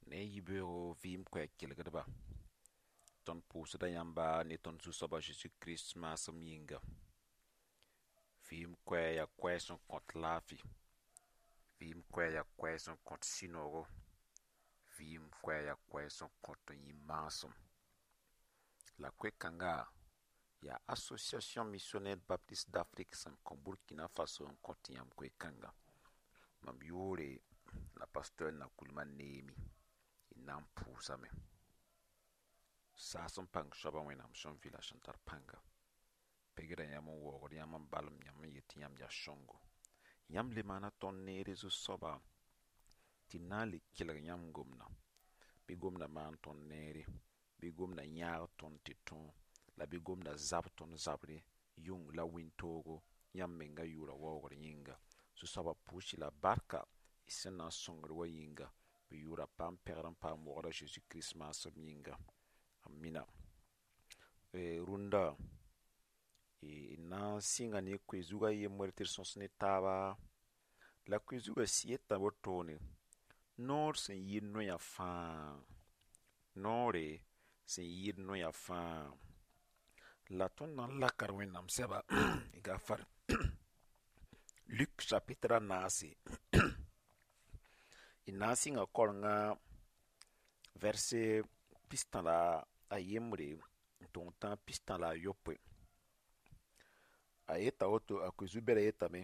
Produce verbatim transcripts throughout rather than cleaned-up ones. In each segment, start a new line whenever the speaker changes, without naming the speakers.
Ne yibeoogo vɩɩm koɛɛg kelgdba tõnd pʋʋsda yãmba ne tõnd Zu-soaba Zeezi Kirist maasem yĩnga. Vɩɩm koɛɛg yaa koɛɛg sẽn kõt laafɩ. Vɩɩm koɛɛg yaa koɛɛg sẽn kõt sũ-noogo. Vɩɩm koɛɛg yaa koɛɛg sẽn kõt n yĩ maasem. La koe-kãnga yaa Association Missionnaire Baptiste d'Afrique sẽn kõ Burkina Faso n kõt yãmb koe-kãnga. Mam yʋʋre la pasteur Nakoulma Neemi. Y na n pʋʋsame. Saas n pãng soaba Wẽnnaam sẽn vɩ la sẽn tar pãnga. Pegra yãmb n waoogd yãmb n balem yãmb n yet tɩ yãmb yaa sõngo. Yãmb le maana tõnd neere Zu-soaba tɩ na n le kelg yãmb gomdã. Bɩ gomdã maan tõnd neere, bɩ gomdã yãag tõnd tɩ tõog, la bɩ gomdã zab tõnd zabre yʋng la wĩntoogo yãmb menga yʋʋra waoogr yĩnga. Zu-soabã pʋʋs-y la barka y sẽn na n sõngd wa yĩnga. Bɩ yʋʋra paam pɛgr n paam waoogr a Zeezi Kirist maasem yĩnga. Amina. Rũndã d na n sɩnga ne koe-zugã yembre tɩ d sõs ne taaba la koe-zugã yeta wotone noor sẽn yɩɩd noyã fãa noore sẽn yɩɩd noyã fãa la tõnd na n laka d Wẽnnaam sɛba gafar Luk chapitre a naase d na n sɩnga kaorengã verset pistã la a yembre n tong tãag pistã la a yopoe a yeta woto a koe-zu-bɛrã yetame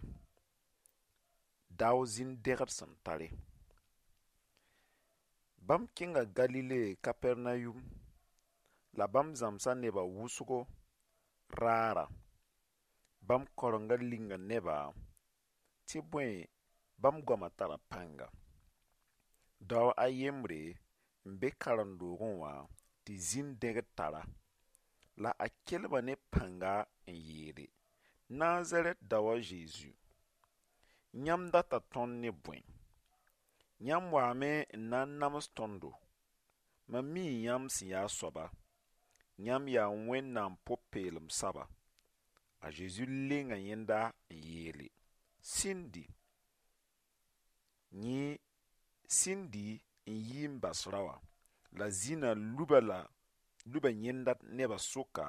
dao zĩn-dẽgd sẽn tare bãmb kẽnga Galile Kapɛrnayum la bãmb zãmsa nebã wʋsgo raara bãmb kaorengã linga nebã tɩ bõe bãmb goamã tara pãnga dao a yembre n be karen-doogẽ wã tɩ zĩn-dẽgd tara la a kelma ne pãnga n yeele Nazarɛt dao a Zeezi yãmb data tõnd ne bõe yãmb waame n na n nams tõndo mam mii yãmb sẽn yaa soaba yãmb yaa Wẽnnaam pʋ-peelem soaba a Zeezi lenga yẽnda n yeele sĩndi yẽ sĩndi n yi n bas rao la zĩnã luba la luba yẽnda nebã sʋka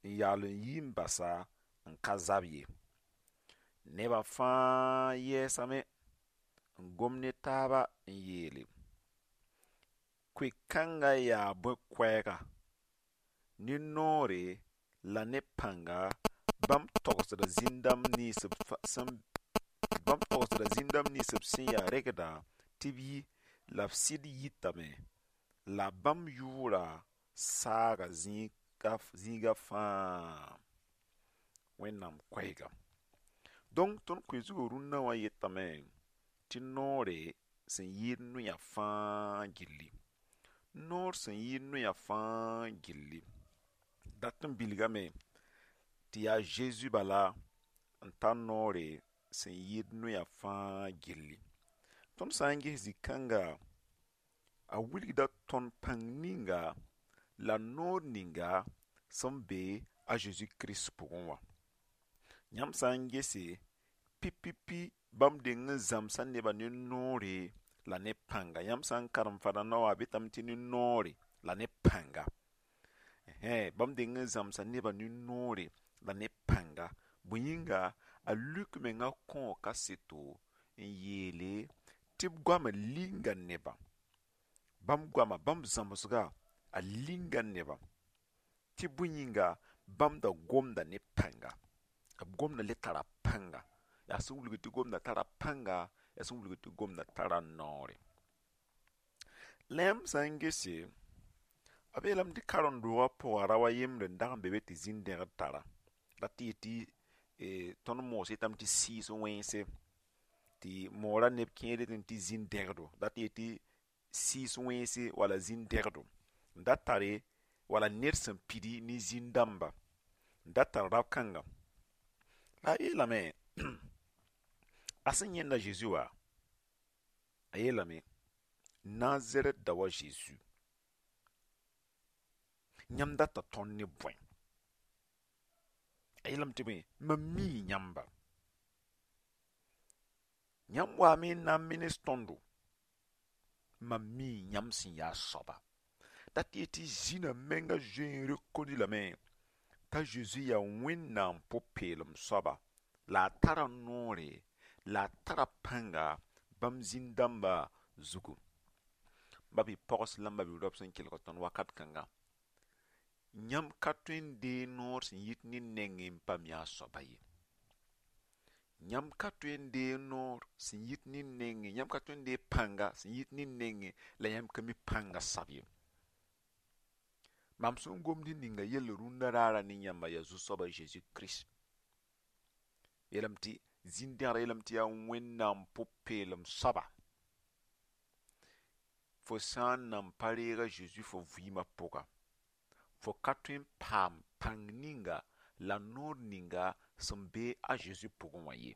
n yaool n yi n basa n ka zab ye nebã fãa yɛɛsame n gom ne taaba n yeele koe-kãngã yaa bõe koɛɛga ne noore la ne pãnga bãmb togsda zĩn-dãmb nins b sẽn bãmb togsda zĩn-dãmb nins b sẽn yaa regda tɩ b yi la b sɩd yitame la bãmb yʋʋra saaga zĩiga fãa Wẽnnaam koɛɛga donc tõnd koe-zugã rũnnã wã yetame tɩ noore sẽn yɩɩd noyã fãa gilli noor sẽn yɩɩd noyã fãa gilli dat n bilgame tɩ yaa Zeezi bala n tar noore sẽn yɩɩd noyã fãa gilli tõnd sã n ges zĩ-kãnga a wilgda tõnd pãng ninga la noor ninga sẽn be a Zeezi Kirist pʋgẽ wã yãmb sã n gese pipipi bãmb deng n zãmsa nebã ne noore la ne pãnga yãmb sã n karem fadãndã wã b yetame tɩ ne noore la ne pãnga bãmb deng n zãmsa nebã ne noore la ne pãnga bõe yĩnga a Luk menga kõo kaseto n yeele tɩ b goamã linga nebã bãmb goama bãmb zãmsga a linga nebã tɩ bõe yĩnga bãmb da gomda ne pãnga b gomda le tara pãnga yaa sẽn wilg tɩ gomda tara pãnga yaa sẽn wilg tɩ gomda tara noore la yãmb sã n gese b yeelame tɩ karen-doogã pʋga rao a yembre n dag n be be tɩ zĩn-dẽgd tara la tɩ yetɩ tõnd moos yetame tɩ sɩɩs wẽnse tɩ moora neb kẽer yetame tɩ zĩn-dẽgdo la tɩ yetɩ sɩɩs wẽnse wala zĩn-dẽgdo n da tare wala ned sẽn pidi ne zĩn-dãmba n da tar rao-kãnga la a yeelame a sẽn yẽnda Zeezi wa a yeelame Nazarɛt dao a Zeezi yãmb data tõnd ne bõe a yeelame tɩ bõe mam mii yãmba yãmb waame n na n menes tõndo Mam mii yãmb sẽn yaa soaba. Dat yet tɩ zĩnã menga zoe n rekondi lame t'a Zeezi yaa Wẽnnaam pʋ-peelem soaba la a tara noore la a tara pãnga bãmb zĩn-dãmba zugu. Ba bɩ pogs la m ba bi-raop sẽn kelg tõnd wakat kãnga. Yãmb ka tõe n deeg noor sẽn yit ned nengẽ n pa mi a soaba ye. Yãmb ka tõe n deeg noor sẽn yit ned nengẽ, yãmb ka tõe n deeg pãnga sẽn yit ned nengẽ la yãmb ka mi pãnga sab ye. Mam sẽn gomd ninga yell rũndã raara ne yãmba yaa Zu-soaba Zeezi Kirist. Yeelame tɩ zĩn-dẽgdã yeelame tɩ yaa Wẽnnaam pʋ-peelem soaba. Fo sã n nan pa reeg a Zeezi fo vɩɩmã pʋga, fo ka tõe n paam pãng ninga la noor ninga sẽn be a Zeezi pʋgẽ wã ye.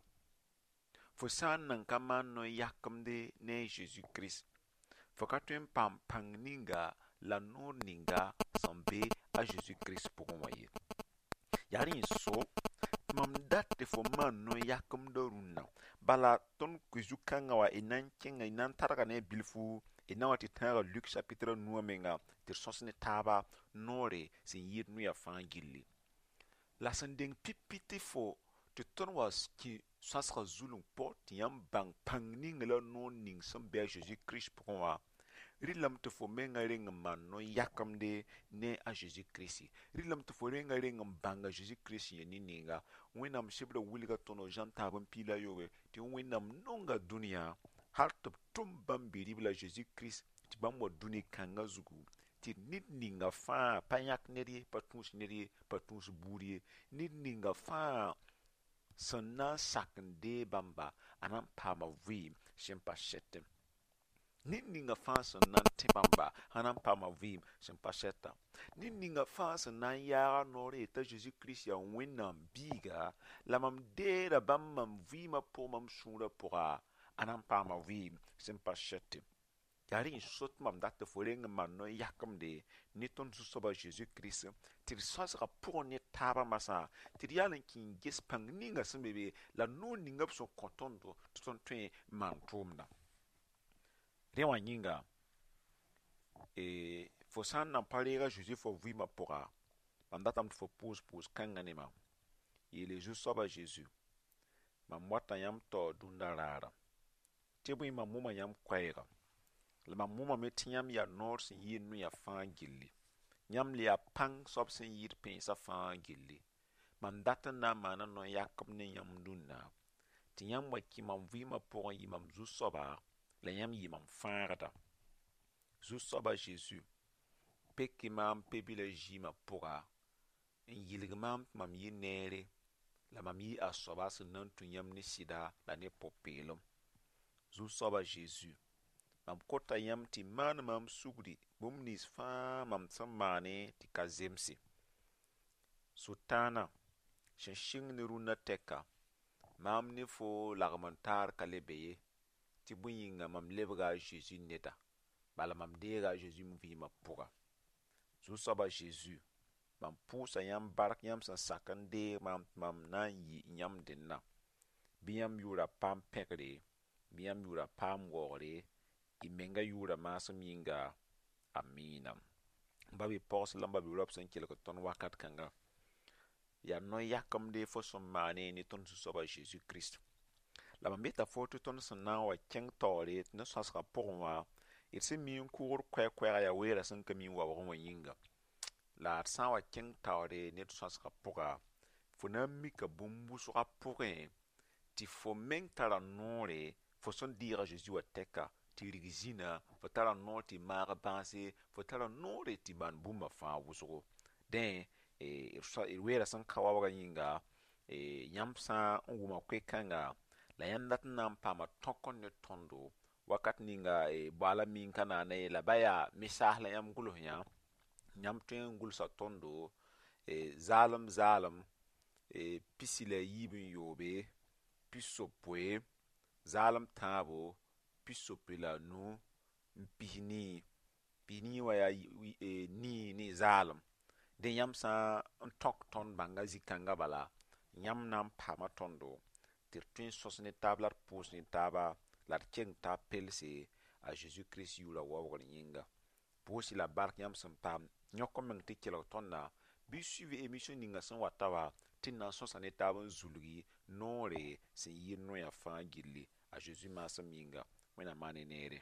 Fo sã n nan ka maan no-yakemde ne a Zeezi Kirist, fo ka tõe n paam pãng ninga la noor ninga sẽn be a Zeezi Kirist pʋgẽ wã ye. Yaa rẽ n so tɩ mam dat tɩ fo maan no-yakemdã rũnnã. Bala tõnd koe-zu-kãngã wã y na n kẽnga y na n targa ne bilfu y na wa tɩ tãaga Luk chapitre a nu wã menga tɩ d sõs ne taaba noore sẽn yɩɩd noya fãa gilli. La sẽn deng pipi tɩ fo tɩ tõnd wa kẽ sõasga zulung pʋg tɩ yãmb bãng pãng ning la noor ning sẽn be a Zeezi Kirist pʋgẽ wã, rɩlame tɩ fo menga reng n maan no-yakemde ne a Zeezi Kirist. Rɩlame tɩ fo renga reng n bãng a Zeezi Kirist sẽn yaa ned-ninga. Wẽnnaam sebrã wilga tõndo Zã tãab n piig la a yooobe tɩ Wẽnnaam nonga dũniyã hal tɩ b tʋm bãmb bi-ribla Zeezi Kirist tɩ bãmb wa dũni kãngã zugu tɩ ned ninga fãa pa yãk ned ye, pa tũus ned ye, pa tũus buud ye, ned ninga fãa sẽn na n sak n deeg bãmba a na n paama vɩɩm sẽn pa sɛtẽ. Ned ninga fãa sẽn na n tẽ bãmba a na n paama vɩɩm sẽn pa sɛta. Ned ninga fãa sẽn na n yaaga noor yetã Zeezi Kirist yaa Wẽnnaam biiga la mam deeda bãmb mam vɩɩmã pʋgẽ mam sũurã pʋga a na n paama vɩɩm sẽn pa sɛtẽ. Yaa rẽ n so tɩ mam dat tɩ fo reng n maan no-yakemde ne tõnd Zu-soaba Zeezi Kirist tɩ d sõsga pʋgẽ ne taabã masã tɩ d yaal n kẽ n ges pãng ninga sẽn be be la noor ninga b sẽn kõ tõndo tɩ tõnd tõe n maan tʋʋmdã. Rẽ wã yĩnga fo sã n nan pa reeg a Zeezi fo vɩɩmã pʋga, mam datame tɩ fo pʋʋs pʋʋs-kãngã ne mam. Yeele Zu-soaba Zeezi, mam wata yãmb taoor dũndã raara tɩ bõe mam wʋma yãmb koɛɛga la mam wʋmame tɩ yãmb yaa noor sẽn yɩɩd noya fãa gilli. Yãmb le yaa pãng soab sẽn yɩɩd pẽensã fãa gilli. Mam dat n na n maana no-yakem ne yãmb dũnna tɩ yãmb wa kẽ mam vɩɩmã pʋgẽ yɩ mam zu-soaba la yãmb yɩ mam fãagda. Zu-soaba Zeezi, pek-y maam pe-bilã zɩɩmã pʋga n yɩlg maam tɩ mam yɩ neere la mam yɩ a soaba sẽn na n tũ yãmb ne sɩda la ne pʋ-peelem. Zu-soaba Zeezi, mam kota yãmb tɩ maan maam sugri bũmb nins fãa mam sẽn maane tɩ ka zemse. Sʋtãanã sẽn sɩng ne rũnnã tɛka, maam ne fo lagem n taar ka le be ye tɩ bõe yĩnga mam lebga a Zeezi neda, bala mam deega a Zeezi m vɩɩmã pʋga. Zu-soaba Zeezi, mam pʋʋsa yãmb bark yãmb sẽn sak n deeg maam tɩ mam na n yɩ yãmb dẽnna. Bɩ yãmb yʋʋra paam pẽgre, bɩ yãmb yʋʋra paam waoogre, y menga yʋʋra maasem yĩnga. Amiina. Ba bɩ pogs la m ba bɩ raop sẽn kelg tõnd wakat kãnga. Yaa no-yakemde fo sẽn maane ne tõnd Zu-soaba Zeezi Kirist. La mam yeta fo tɩ tõnd sẽn na n wa kẽng taoore tɩ ne sõasgã pʋgẽ wã, d sẽn mi n kʋgr koɛɛ-koɛɛga yaa weera sẽn ka mi n waoogẽ wã yĩnga. La d sã n wa kẽng taoore ne d sõasgã pʋga, fo na n mika bũmb wʋsgã pʋgẽ tɩ fo meng tara noore fo sẽn deeg a Zeezi wã tɛka tɩ rig zĩnã, fo tara noor tɩ maag bãase, fo tara noore tɩ maan bũmba fãa wʋsgo. Dẽ d weera sẽn ka waoogã yĩnga, yãmb sã n wʋma koe-kãnga la yãmb dat n na n paama tõk ne tõndo wakat ninga boaala mi n ka naana ye la ba yaa mesaas la yãmb gʋls yã, yãmb tõe n gʋlsa tõndo zaalem zaalem pisi la yiib n yoobe, pis-yopoe, zaalem tãabo, pis-yopoe la a nu n pis nii. Pis nii wã yaa nii ne zaalem. Dẽ yãmb sã n tõk tõnd bãnga zĩ-kãngã bala, yãmb na n paama tõndo tɩ d tõe n sõs ne taab la d pʋʋs ne taaba la d keng taab pelse. A Zeezi Kirist yʋʋra waoogr yĩnga. Pʋʋs-y la bark yãmb sẽn paam yõk n meng tɩ kelg tõnda bɩ suiv émission ninga sẽn wata wa tɩ d na n sõsa ne taab n zulgi noore sẽn yɩ noya fãa gilli a Zeezi maasem yĩnga. Wẽnnaam maan ne neere.